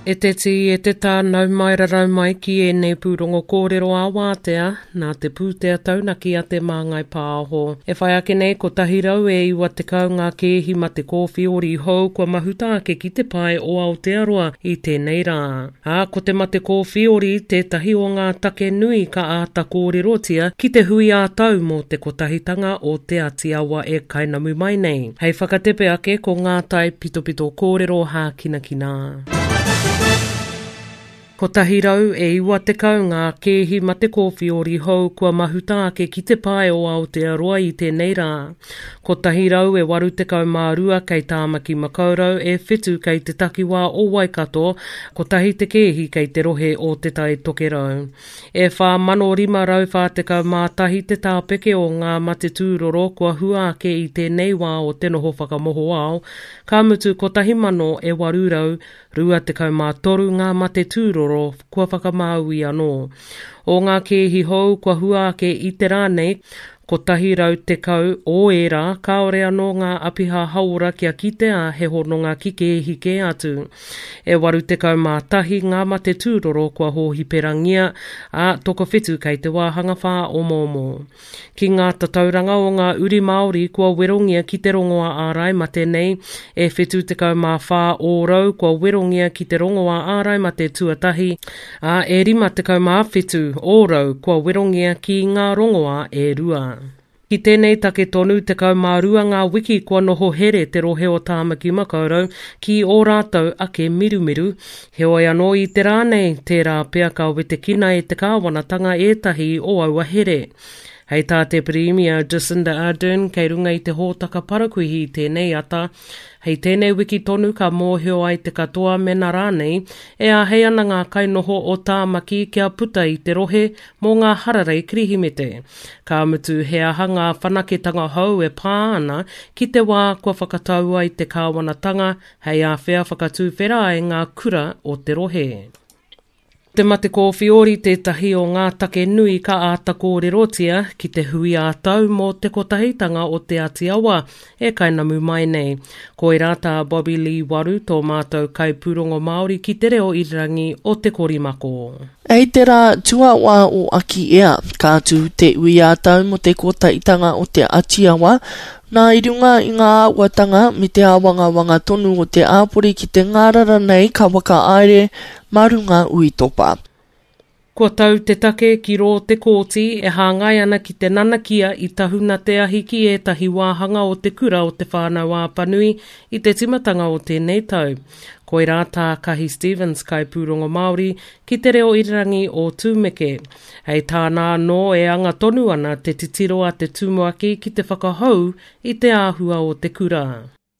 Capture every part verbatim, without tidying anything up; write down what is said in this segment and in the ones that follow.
E te tī, e te tā, nau mai rarau mai ki ēnei pūrongo kōrero ā wātea, nā te pūtea taunaki a Te Māngai Pāho. E whai ake nei kotahi rau e iwa tekau ngā kēhi mate kōwhiori hou kua mahuta ake ki te pae o Aotearoa i tēnei rā. Ā, ko te mate kōwhiori tētahi o ngā take nui ka āta kōrerotia ki te hui ā-tau mō te Kotahitanga o Te Ati Awa e kainamu mai nei. Hei whakatepe ake ko ngā tae pitopito kōrero hākinakina. Kotahi rau e iwa tekau ngā kēhi mate kōwhiori hou kua mahuta ake ki te pae o Aotearoa i tēnei rā. Kotahi rau e waru tekau mā rua kei Tāmaki Makaurau, e whitu kei te takiwā o Waikato, kotahi te kēhi kei te rohe o Te Tai Tokerau. E whā mano rima rau whā tekau mā tahi te tāpeke o ngā mate tūroro kua hua ake i tēnei wā o te noho whakamohoao, ka mutu kotahi mano e waru rau rua tekau mā toru ngā mate tūroro kua whakamāui anō. O ngā kēhi hou kua hua ake i te rā nei, kotahi rau tekau o ērā kāore anō ngā apiha hauora kia kitea he hononga ki kēhi kē atu. E waru tekau mā tahi ngā mate tūroro kua hōhiperangia, ā, tokowhitu kei te wāhanga whāomoomo. Ki ngā tatauranga o ngā uri Māori kua werongia ki te rongoā ārai mate nei, e whitu tekau mā whā ōrau kua werongia ki te rongoā ārai mate tuatahi, ā, e rima tekau mā whitu ōrau kua werongia ki ngā rongoā e rua. Ki tēnei take tonu, tekau mā rua ngā wiki kua noho here te rohe o Tāmaki Makaurau ki ō rātou ake mirumiru. Heoi anō i te rā nei, tērā pea ka wetekina e te kāwanatanga ētahi o aua here. Hei tā te Pirimia Jacinda Ardern kei runga i te hōtaka parakuihi i tēnei ata, hei tēnei wiki tonu ka mōhio ai te katoa mena rānei e āhei ana ngā kainoho o Tāmaki kia puta i te rohe mō ngā hararei Kirihimete. Ka mutu he aha ngā whanaketanga hou e pā ana ki te wā kua whakatau ai te kāwanatanga hei āwhea whakatūwhera ai ngā kura o te rohe. Te mate kōwhiori tētahi o ngā take nui ka āta kōrerotia ki te hui ā-tau mō te Kotahitanga o Te Ati Awa e kainamu mai nei. Koirā tā Bobby Lee Waru, tō mātou kaipūrongo Māori ki te reo irirangi o Te Korimako. Hei te rā tuawhā o Akiea, ka tū te hui ā-tau mō te Kotahitanga o Te Ati Awa, nā i runga i ngā āhuatanga me te āwangawanga tonu o te āpori ki te ngārara nei ka whakahaere mā runga uitopa. Kua tau te take ki rō te kōti e hāngai ana ki te nanakia i tahuna te ahi ki ētahi wāhanga o te kura o Te Whānau-a-Apanui i te timatanga o tēnei tau. Koirā tā Kahi Stevens, kaipūrongo Māori, ki te reo irirangi o Tūmeke. Hei tāna anō e anga tonu ana te titiro a te tumuaki ki te whakahou i te āhua o te kura.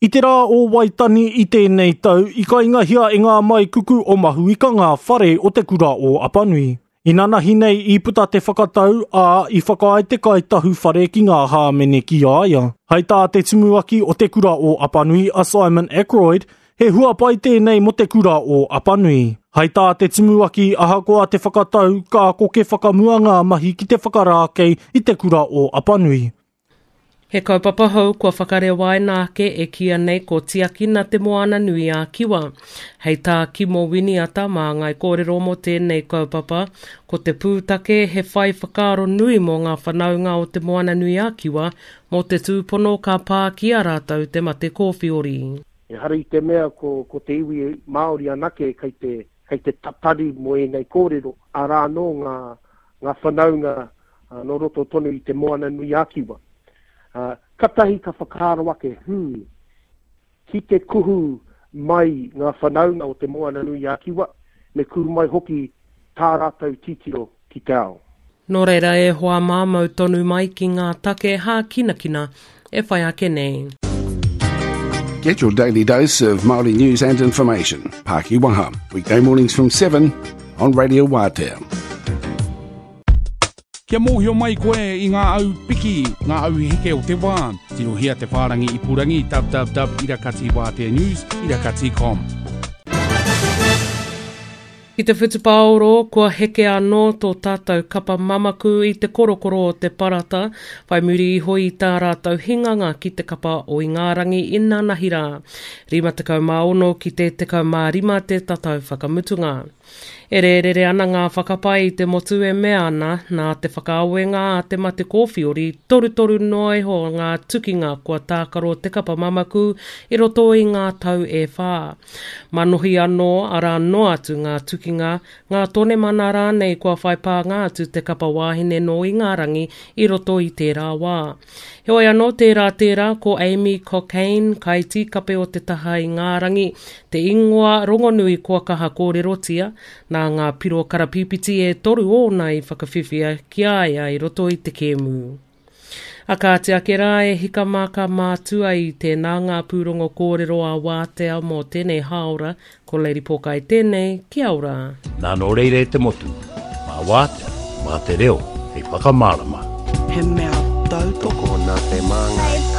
I te rā o Waitani i tēnei tau, i kaingahia e ngā maikuku o Mahuika ngā whare o te kura o Apanui. Inanahi nei i puta te whakatau, ā, i whakaae te kaitahu whare ki ngā hāmene ki a ia. Hei tā te tumuaki o te kura o Apanui a Simon Ackroyd, he huapai tēnei mō te kura o Apanui. Hei tā te tumuaki ahakoa te whakatau, ka koke whakamua ngā mahi ki te whakarākei i te kura o Apanui. He kaupapa hou kua whakarewaina ake e kīia nei ko Tiakina te Moana Nui a Kiwa. Hei tā Kimo Winiata māngai kōrero mō tēnei kaupapa, ko te pūtake he whai whakaaro nui mō ngā whanaunga o te Moana Nui a Kiwa mō te tūpono ka pā ki a rātou te mate kōwhiori. Ehara i te mea ko, ko te iwi Māori anake kei te, kei te tatari mō ēnei kōrero, arā anō ngā, ngā whanaunga nō roto tonu i te Moana Nui a Kiwa. Uh, katahi ka whakaaro ake, hmm, ki te kuhu mai ngā whanaunga o te Moana Nui a Kiwa, me kuhu mai hoki tā rātou titiro ki te ao. Nō reira e hoa māmau tonu mai ki ngā take hākinakina e whai ake nei. Get your daily dose of Māori news and information. Paki Waha, weekday mornings from seven on Radio Wātea. Kia mōhio mai koe i ngā au piki, ngā au heke o te wā. Tirohia te whārangi ipurangi www irakati wātea news irakati com. Ki te whutupaoro, kua heke anō tō tātou kapa mamaku i te korokoro o te parata, whai muri iho i tā rātou hinganga ki te kapa o Ingarangi inanahi rā. rima tekau mā ono ki te tekau mā rima te tatau whakamutunga. E rērere ana ngā whakapae i te motu e mea ana, nā te whakaawenga a te mate kōwhiori, torutoru noa iho ngā tukinga kua tākaro te kapa mamaku i roto i ngā tau e whā. Manohi anō, arā noa atu ngā tukinga, ngā tonemana rānei kua whai pānga atu te kapa wāhine nō Ingarangi i roto i tērā wā. Heoi anō tērā tērā ko Amy Cokayne, kaitīkape o te taha Ingarangi, te ingoa rongonui kua kaha kōrerotia, nā ngā piro karapīpiti e toru ōna i whakawhiwhia ki a ia i roto i te kēmu. A kāti ake rā e hika mā ka mātua i tēnā ngā pūrongo kōrero a Wātea mō tēnei hāora, ko Lady Pōkai tēnei, kia ora. Nā nō reira e te motu, mā Wātea, mā te reo, hei whakamārama. He mea tautoko nā te Māngai.